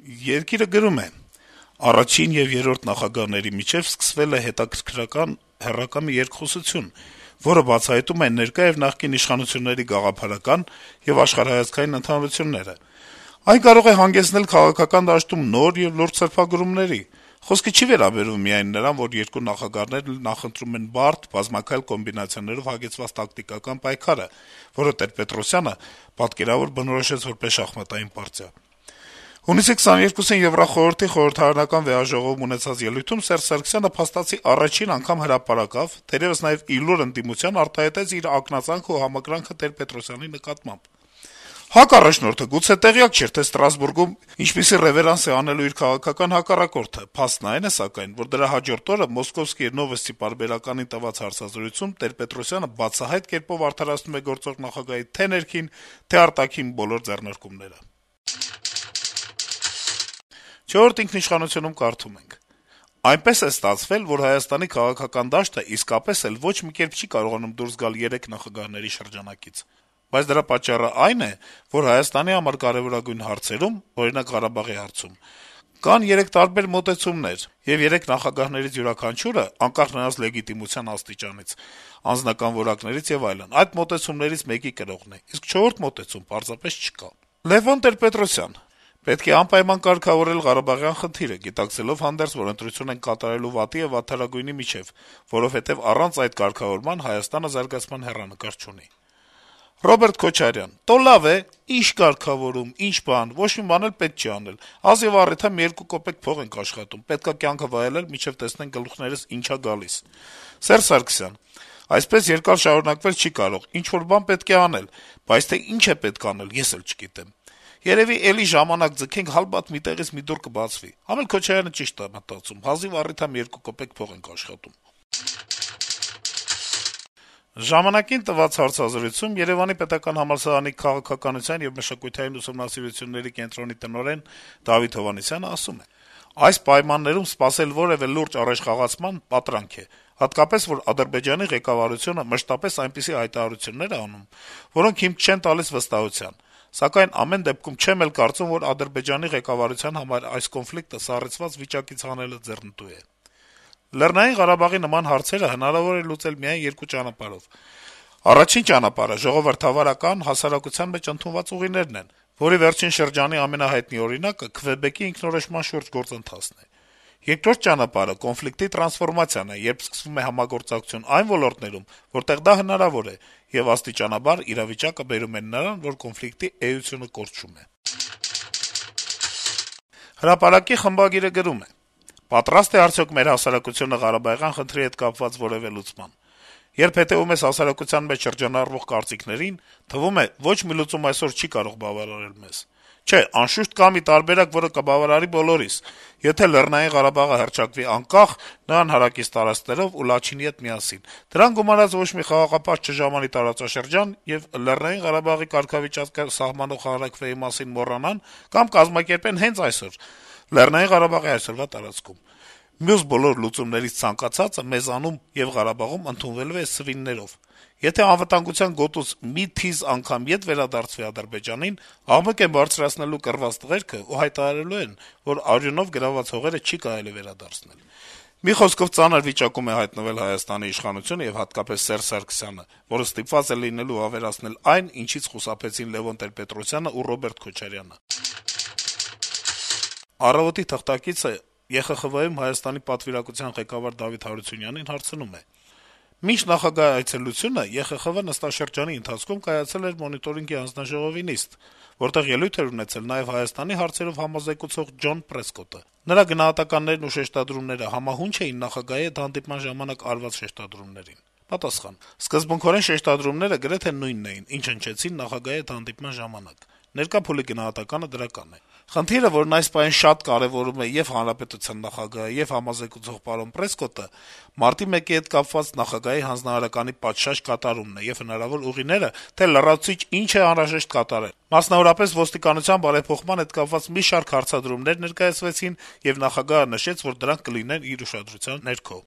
Երկիրը գրում է. - «Առաջին եւ երրորդ նախագահների միջեւ սկսվել է հետաքրքրական հեռակա մի երկխոսություն, որը բացահայտում է ներկա եւ նախկին իշխանությունների գաղափարական եւ աշխարհայացքային ընդհանրությունները: Այն կարող է հանգեցնել քաղաքական դաշտում նոր եւ լուրջ սրբագրումների: Խոսքը չի վերաբերվում միայն նրան, որ երկու նախագահներն նախընտրում են բարդ, բազմաքայլ կոմբինացիաներով հագեցված տակտիկական պայքարը, որը Տեր-Պետրոսյանը պատկերավոր բնորոշեց որպես շախմատային պարտիա: Հունիսի 22-ին Եվրախորհրդի խորհրդարանական վեհաժողովում ունեցած ելույթում Սերժ Սարգսյանը փաստացի առաջին անգամ հրապարակավ, թերեւս նաեւ ի լուր ընդդիմության, արտահայտեց իր ակնածանքն ու համակրանքը Տեր-Պետրոսյանի նկատմամբ: ՀԱԿ առաջնորդը գուցե տեղյակ չէր, թե Ստրասբուրգում ինչպիսի ռեվերանս է անելու իր քաղաքական հակառակորդը: Փաստն այն է, սակայն, որ դրա հաջորդ օրը «Մոսկովսկիի նովոստի» պարբերականին տված հարցազրույցում Տեր-Պետրոսյանը բացահայտ կերպով արդարացնում է գործող նախագահի թե' ներքին, թե' արտաքին բոլոր ձեռնարկումները»: «Չորրորդ ինքնիշխանություն»-ում կարդում ենք. - «Այնպես է ստացվել, որ Հայաստանի քաղաքական դաշտը իսկապես էլ ոչ մի կերպ չի կարողանում դուրս գալ երեք նախագահների շրջանակից: Բայց դրա պատճառն այն է, որ Հայաստանի համար կարեւորագույն հարցերում, օրինակ Ղարաբաղի հարցում, կան երեք տարբեր մոտեցումներ, եւ երեք նախագահներից յուրաքանչյուրը, անկախ նրանց լեգիտիմության աստիճանից, անձնական որակներից եւ այլն, այդ մոտեցումներից մեկի կրողն է, իսկ չորրորդ մոտեցում պարզապես չկա: Լեւոն Տեր-Պետրոսյան. «Պետք է անպայման կարգավորել Ղարաբաղյան խնդիրը, գիտակցելով հանդերձ, որ ընտրություն ենք կատարելու վատի եւ վատթարագույնի միջեւ, որովհետեւ առանց այդ կարգավորման Հայաստանը զարգացման հեռանկար չունի»: Ռոբերտ Քոչարյան. - «Տո լավ է, ի՞նչ կարգավորում, ի՞նչ բան, ոչ մի բան էլ պետք չի անել: Ազեւառիթ մի 2 կոպեկ փող ենք աշխատում, պետք է կյանքը վայելել, մինչեւ տեսնենք գլուխներս ինչ ա գալիս»: Սերժ Սարգսյան. - «Այսպես երկար շարունակվել չի կարող, ինչ-որ բան պետք է անել, բայց թե ինչ է պետք անել, ես էլ չգիտեմ: Երեւի էլի ժամանակ ձգենք, հալբաթ մի տեղից մի դուռ կբացվի»: Քոչարյանը ճիշտ է մտածում, հազիվ առիթ ա մի 2 կոպեկ փող ենք աշխատում»: «Ժամանակ»-ին տված հարցազրույցում Երեւանի պետական համալսարանի քաղաքականության եւ մշակութային ուսումնասիրությունների կենտրոնի տնօրեն Դավիթ Հովհաննիսյանը ասում է. - «Այս պայմաններում սպասել որեւէ լուրջ առաջխաղացման պատրանք է, հատկապես, որ Ադրբեջանի ղեկավարությունը մշտապես այնպիսի հայտարարություններ է անում, որոնք հիմք չեն տալիս վստահության: Սակայն ամեն դեպքում չեմ էլ կարծում, որ Ադրբեջանի ղեկավարության համար այս կոնֆլիկտը սառեցված վիճակից հանելը ձեռնտու է: Լեռնային Ղարաբաղի նման հարցերը հնարավոր է լուծել միայն երկու ճանապարհով: Առաջին ճանապարհը ժողովրդավարական, հասարակության մեջ ընդունված ուղիներն են, որի վերջին շրջանի ամենահայտնի օրինակը Քվեբեկի ինքնորոշման շուրջ գործընթացն է: Երկրորդ ճանապարհը կոնֆլիկտի տրանսֆորմացիան է, երբ սկսվում է համագործակցություն այն ոլորտներում, որտեղ դա հնարավոր է, եւ աստիճանաբար իրավիճակը բերում է նրան, որ կոնֆլիկտի էությունը կորչում է»: «Հրապարակ»-ի խմբագիրը գրում է. - «Պատրաստ է արդյոք մեր հասարակությունը Ղարաբաղյան խնդրի հետ կապված որեւէ լուծման: Երբ հետեւում ես հասարակության մեջ շրջանառվող կարծիքներին, թվում է՝ ոչ մի լուծում այսօր չի կարող բավարարել մեզ: Չէ, անշուշտ կա մի տարբերակ, որը կբավարարի բոլորիս: Եթե Լեռնային Ղարաբաղը հռչակվի անկախ, նրան հարակից տարածքներով ու Լաչինի հետ միասին, դրան գումարած ոչ մի խաղաղապահ չժամանի տարածաշրջան, եւ Լեռնային Ղարաբաղի կարգավիճակը սահմանող հանրաքվեի մասին մոռանան կամ կազմակերպեն հենց այսօր՝ Լեռնային Ղարաբաղի այսօրվա տարածքում: Մյուս բոլոր լուծումներից ցանկացածը մեզանում եւ Ղարաբաղում ընդունվելու է սվիններով: Եթե անվտանգության գոտուց մի թիզ անգամ ետ վերադարձվի Ադրբեջանին, աղմուկ են բարձրացնելու կռված տղերքը ու հայտարարելու են, որ արյունով գրաված հողերը չի կարելի վերադարձնել: Մի խոսքով, ծանր վիճակում է հայտնվել Հայաստանի իշխանությունը եւ հատկապես Սերժ Սարգսյանը, որը ստիպված է լինելու ավերացնել այն, ինչից խուսափեցին Լեւոն Տեր-Պետրոսյանը ու Ռոբերտ Քոչարյանը»: «Առավոտ»-ի թղթակիցը ԵԽԽՎ-ում Հայաստանի պատվիրակության ղեկավար Դավիթ Հարությունյանին հարցնում է. - «Մինչ նախագահի այցելությունը ԵԽԽՎ նստաշրջանի ընթացքում կայացել էր Մոնիտորինգի հանձնաժողովի նիստ, որտեղ ելույթ էր ունեցել նաեւ Հայաստանի հարցերով համոզեկուցող Ջոն Պրեսկոտը: Նրա գնահատականներն ու շեշտադրումները համահո՞ւնչ էին նախագահի հետ հանդիպման ժամանակ արված շեշտադրումներին»: Պատասխան. - «Սկզբունքորեն շեշտադրումները գրեթե նույնն էին, ինչ հնչեցին նախագահի հետ հանդիպման ժամանակ: Ներկա փուլի գնահատականը դրական է: Խնդիրը, որն այս պահին շատ կարեւորում է ե'ւ հանրապետության նախագահը, ե'ւ համոզեկուցող պարոն Պրեսկոտը, Մարտի 1-ի հետ կապված նախագահի հանձնարարականի պատշաճ կատարումն է եւ հնարավոր ուղիները, թե լրացուցիչ ինչ է անհրաժեշտ կատարել: Մասնավորապես, ոստիկանության բարեփոխման հետ կապված մի շարք հարցադրումներ ներկայացվեցին, եւ նախագահը նշեց, որ դրանք կլինեն իր ուշադրության ներքո»: